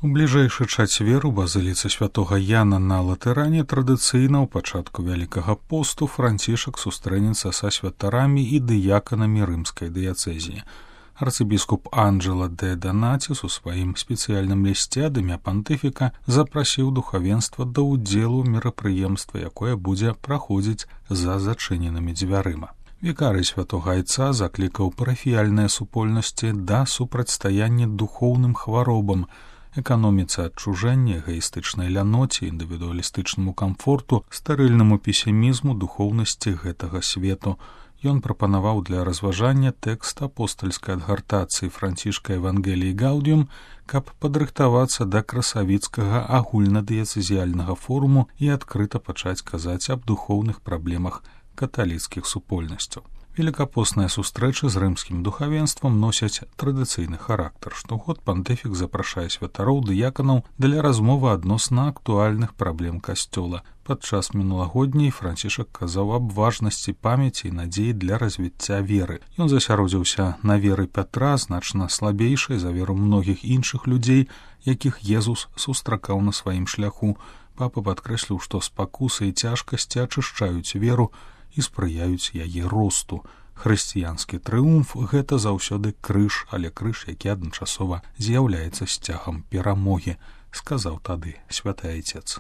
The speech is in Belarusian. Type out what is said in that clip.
У бліжэйшы чацвер у базыліцы святога Яна на Латэране традыцыйна ў пачатку Вялікага посту Францішак сустрэнецца са святарамі і дыяканамі рымскай дыяцэзіі. Арцыбіскуп Анджела де Донатис у сваім спецыяльным лісце ад імя пантыфіка запрасіў духавенства да ўдзелу ў мерапрыемства, якое будзе праходзіць за зачыненымі дзвярыма. Вікарый святога Айца заклікаў парафіяльныя супольнасці да супрацьстаяння духоўным хваробам, эканоміцы адчужэння, эгаістычнай ляноце, індывідуалістычнаму камфорту, стэрыльнаму песімізму духоўнасці гэтага свету. Ён прапанаваў для разважання тэкст апостальскай адгартацыі Францішка Евангеліі Гаудіум, каб падрыхтавацца да красавіцкага агульнадыяцэзіяльнага форуму і адкрыта пачаць казаць аб духоўных праблемах каталіцкіх супольнасцяў. Великапостныя сустрэчы з рымскім духавенствам носяць традыцыйны характар. Штогод пантыфік запрашае святароў дыяканаў для размовы адносна актуальных праблем касцёла. Падчас мінулагодняй Францішак казаў аб важнасці памяці і надзеі для развіцця веры. Ён засяродзіўся на веры Пятра, значна слабейшай за веру многіх іншых людзей, якіх Езус сустракаў на сваім шляху. Папа падкрэсліў, што спакусы і цяжкасці ачышчаюць веру і спрыяюць яе росту. Хрысціянскі трыумф – гэта заўсёды крыж, але крыж, які адначасова з'яўляецца сцягам перамогі, сказаў тады святы айцец.